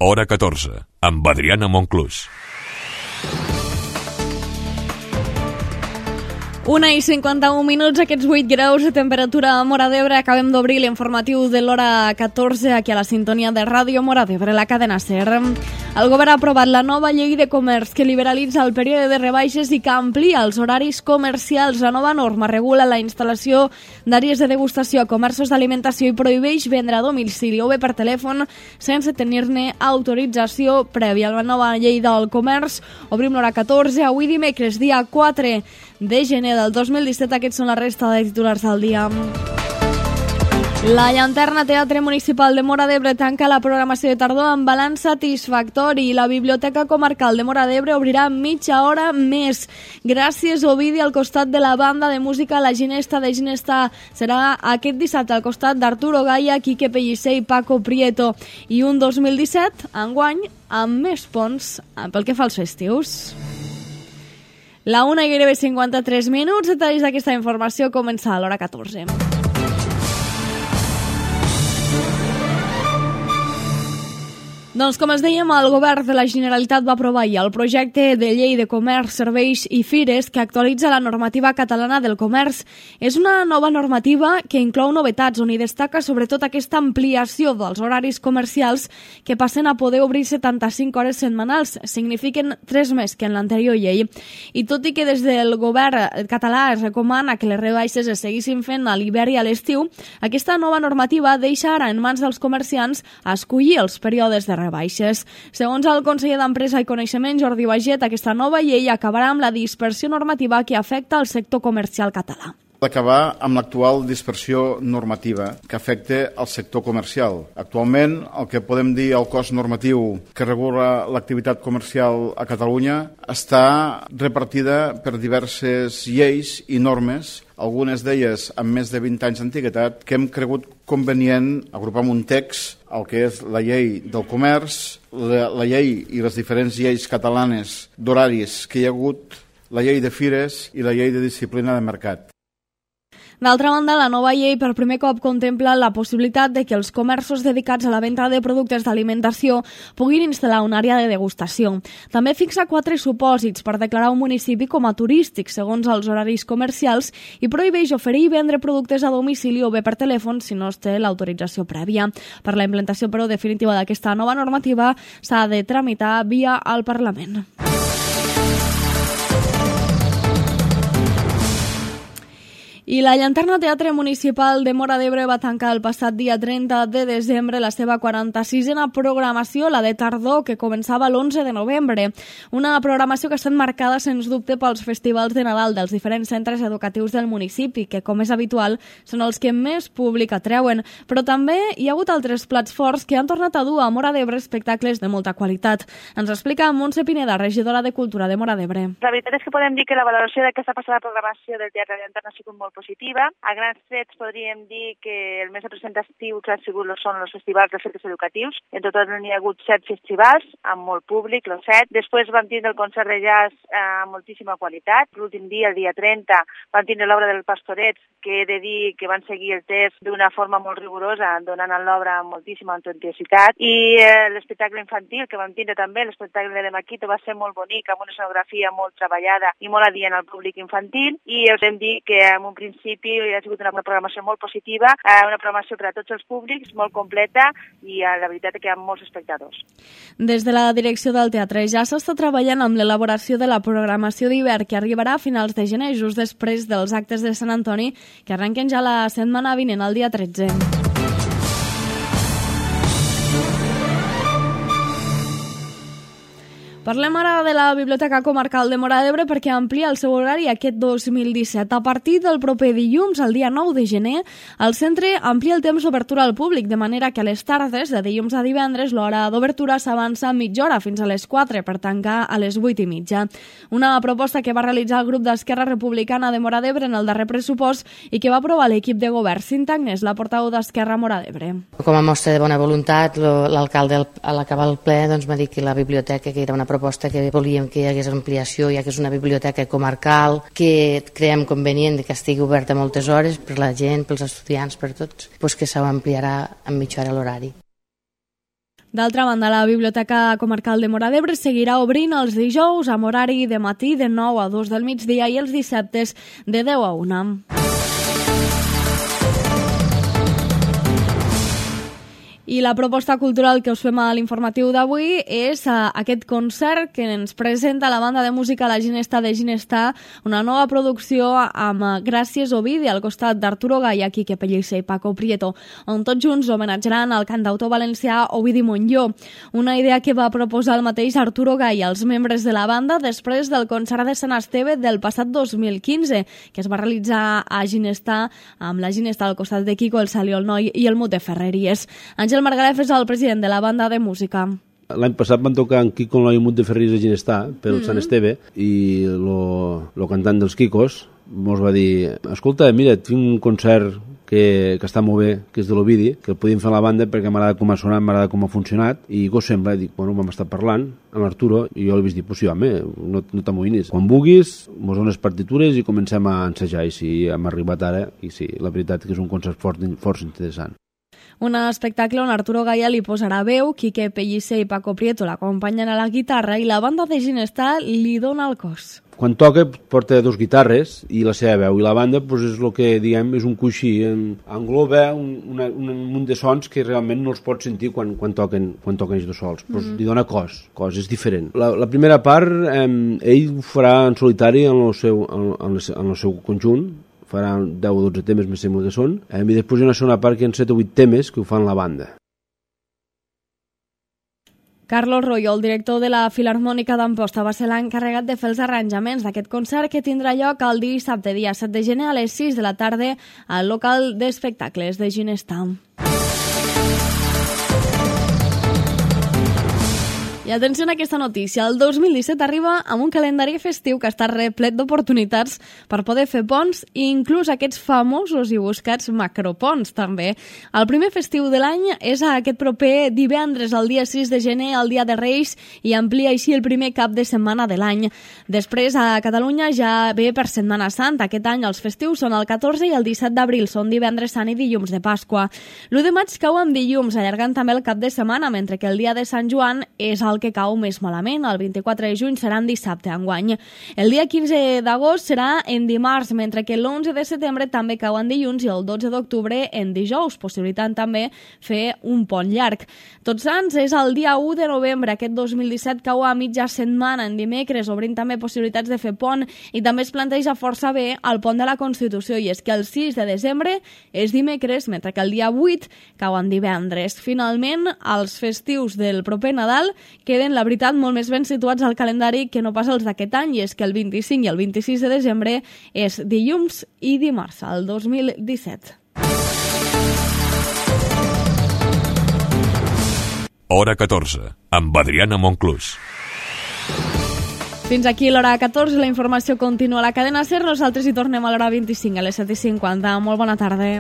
Hora 14, amb Adriana Monclús. 1:51, aquests 8 graus de temperatura a Móra d'Ebre. Acabem d'obrir l'informatiu de l'hora 14 aquí a la sintonia de Ràdio Móra d'Ebre, la cadena SER. El govern ha aprovat la nova llei de comerç que liberalitza el període de rebaixes i que amplia els horaris comercials. La nova norma regula la instal·lació d'àrees de degustació a comerços d'alimentació i prohibeix vendre a domicili o bé per telèfon sense tenir-ne autorització prèvia. La nova llei del comerç obrim l'hora 14, avui dimecres, dia 4 de gener del 2017. Aquests són la resta de titulars del dia. La Llanterna Teatre Municipal de Móra d'Ebre tanca la programació de tardor amb balanç satisfactori. La Biblioteca Comarcal de Móra d'Ebre obrirà mitja hora més. Gràcies, Ovidi, al costat de la banda de música La Ginesta de Ginesta. Serà aquest dissabte al costat d'Arturo Gaia, Quique Pellicer i Paco Prieto. I un 2017, enguany, amb més ponts pel que fa als festius. La 1 i gairebé 53 minuts. Detalls d'aquesta informació comença a l'hora 14. Doncs, com es dèiem, el govern de la Generalitat va aprovar el projecte de llei de comerç, serveis i fires que actualitza la normativa catalana del comerç. És una nova normativa que inclou novetats, on hi destaca sobretot aquesta ampliació dels horaris comercials que passen a poder obrir 75 hores setmanals. Signifiquen 3 més que en l'anterior llei. I tot i que des del govern català es recomana que les rebaixes es seguissin fent a l'hivern i a l'estiu, aquesta nova normativa deixa ara en mans dels comerciants a escollir els períodes de rebaixes. Segons el conseller d'Empresa i Coneixement, Jordi Baget, aquesta nova llei acabarà amb la dispersió normativa que afecta el sector comercial català. D'acabar amb l'actual dispersió normativa que afecta el sector comercial. Actualment, el que podem dir el cos normatiu que regula l'activitat comercial a Catalunya està repartida per diverses lleis i normes, algunes d'elles amb més de 20 anys d'antiguitat, que hem cregut convenient agrupar en un text el que és la llei del comerç, la llei i les diferents lleis catalanes d'horaris que hi ha hagut, la llei de fires i la llei de disciplina de mercat. D'altra banda, la nova llei per primer cop contempla la possibilitat de que els comerços dedicats a la venda de productes d'alimentació puguin instal·lar una àrea de degustació. També fixa 4 supòsits per declarar un municipi com a turístic segons els horaris comercials i prohibeix oferir i vendre productes a domicili o bé per telèfon si no es té l'autorització prèvia. Per la implantació, però, definitiva d'aquesta nova normativa s'ha de tramitar via el Parlament. I la Llanterna Teatre Municipal de Móra d'Ebre va tancar el passat dia 30 de desembre la seva 46a programació, la de tardor, que començava l'11 de novembre. Una programació que ha estat marcada, sens dubte, pels festivals de Nadal dels diferents centres educatius del municipi, que, com és habitual, són els que més públic atreuen. Però també hi ha hagut altres plats forts que han tornat a dur a Móra d'Ebre espectacles de molta qualitat. Ens explica Montse Pineda, regidora de Cultura de Móra d'Ebre. La veritat és que podem dir que la valoració d'aquesta passada programació del Teatre Llanterna ha sigut molt positiva. A grans trets podríem dir que el més representatiu que ha sigut són els festivals de centres educatius. En total n'hi ha hagut 7 festivals, amb molt públic, els 7. Després vam tindre el concert de jazz amb moltíssima qualitat. L'últim dia, el dia 30, vam tindre l'obra del Pastorets, que he de dir que van seguir el text d'una forma molt rigorosa, donant a l'obra moltíssima autenticitat. I l'espectacle infantil, que vam tindre també, l'espectacle de Maquito, va ser molt bonic, amb una escenografia molt treballada i molt adient al públic infantil. I us hem dit que en un principi ha sigut una programació molt positiva, una programació per a tots els públics, molt completa i la veritat és que hi ha molts espectadors. Des de la direcció del teatre ja s'està treballant amb l'elaboració de la programació d'hivern que arribarà a finals de gener, just després dels actes de Sant Antoni, que arrenquen ja la setmana vinent, el dia 13. Parlem ara de la Biblioteca Comarcal de Móra d'Ebre perquè amplia el seu horari aquest 2017. A partir del proper dilluns, el dia 9 de gener, el centre amplia el temps d'obertura al públic, de manera que a les tardes, de dilluns a divendres, l'hora d'obertura s'avança mitja hora fins a les 4 per tancar a les 8:30. Una proposta que va realitzar el grup d'Esquerra Republicana de Móra d'Ebre en el darrer pressupost i que va aprovar l'equip de govern. Cinta Agnès, la portaveu d'Esquerra a Móra d'Ebre. Com a mostra de bona voluntat, l'alcalde a l'acabar el ple va dir que la biblioteca, que era una proposta que volíem que hi hagués ampliació, ja que és una biblioteca comarcal, que creiem convenient que estigui oberta moltes hores per la gent, pels estudiants, per tots, que s'ampliarà en mitja hora l'horari. D'altra banda, la Biblioteca Comarcal de Móra d'Ebre seguirà obrint els dijous amb horari de matí de 9 a 2 del migdia i els dissabtes de 10 a 1. I la proposta cultural que us fem a l'informatiu d'avui és aquest concert que ens presenta la banda de música La Ginesta de Ginestar, una nova producció amb Gràcies Ovidi al costat d'Arturo Gaya, Quique Pellicer i Paco Prieto, on tots junts homenatjaran al cantautor valencià Ovidi Montllor, una idea que va proposar el mateix Arturo Gaya als membres de la banda després del concert de Sant Esteve del passat 2015, que es va realitzar a Ginestar amb la Ginesta al costat de Quico, el Saliol Noi i el Mute Ferreries. Àngel Margalef és el president de la banda de música. L'any passat van tocar en Quico el Noi i el Mute Ferreries a Ginestar pel Sant Esteve i el cantant dels Quicos mos va dir: escolta, mira, tinc un concert que està molt bé, que és de l'Ovidi, que el podíem fer a la banda perquè m'agrada com ha sonat, m'agrada com ha funcionat, i què us sembla? I dic, bueno, vam estar parlant amb Arturo i jo li vaig dir, pues sí, home, no t'amoïnis. Quan vulguis, mos dones partitures i comencem a ensejar, i sí, hem arribat ara, i sí, la veritat que és un concert força interessant. Un espectacle on Arturo Gaya li posarà veu, Quique Pellicer i Paco Prieto l'acompanyen a la guitarra i la banda de Ginestar li dona el cos. Quan toca porta 2 guitarres i la seva veu, i la banda pues, és el que diguem és un coixí, engloba un munt de sons que realment no els pots sentir quan toquen ells dos sols, pues, li dona cos, és diferent. La primera part ell ho farà en solitari en el seu conjunt, farà 10 o 12 temes, me sembla que són, i després hi ha una segona part que hi ha 7 o 8 temes que ho fan la banda. Carlos Royo, el director de la Filharmònica d'Amposta, va ser l'encarregat de fer els arranjaments d'aquest concert que tindrà lloc el dissabte, dia 7 de gener, a les 6 de la tarda al local d'espectacles de Ginestar. I atenció a aquesta notícia, el 2017 arriba amb un calendari festiu que està replet d'oportunitats per poder fer ponts i inclús aquests famosos i buscats macroponts també. El primer festiu de l'any és aquest proper divendres, el dia 6 de gener, el dia de Reis, i amplia així el primer cap de setmana de l'any. Després a Catalunya ja ve per Setmana Santa. Aquest any els festius són el 14 i el 17 d'abril, són divendres sant i dilluns de Pasqua. L'1 de maig cau en dilluns, allargant també el cap de setmana, mentre que el dia de Sant Joan és el que cau més malament. El 24 de juny serà en dissabte enguany. El dia 15 d'agost serà en dimarts, mentre que l'11 de setembre també cau en dilluns i el 12 d'octubre en dijous, possibilitant també fer un pont llarg. Tots Sants és el dia 1 de novembre. Aquest 2017 cau a mitja setmana en dimecres, obrint també possibilitats de fer pont, i també es planteja força bé el pont de la Constitució, i és que el 6 de desembre és dimecres, mentre que el dia 8 cau en divendres. Finalment, els festius del proper Nadal queden, la veritat, molt més ben situats al calendari que no pas els d'aquest any, i és que el 25 i el 26 de desembre és dilluns i dimarts, el 2017. Hora 14, amb Adriana Monclús. Fins aquí l'hora 14, la informació continua a la cadena SER. Nosaltres hi tornem a l'hora 25, a les 7:50. Molt bona tarda.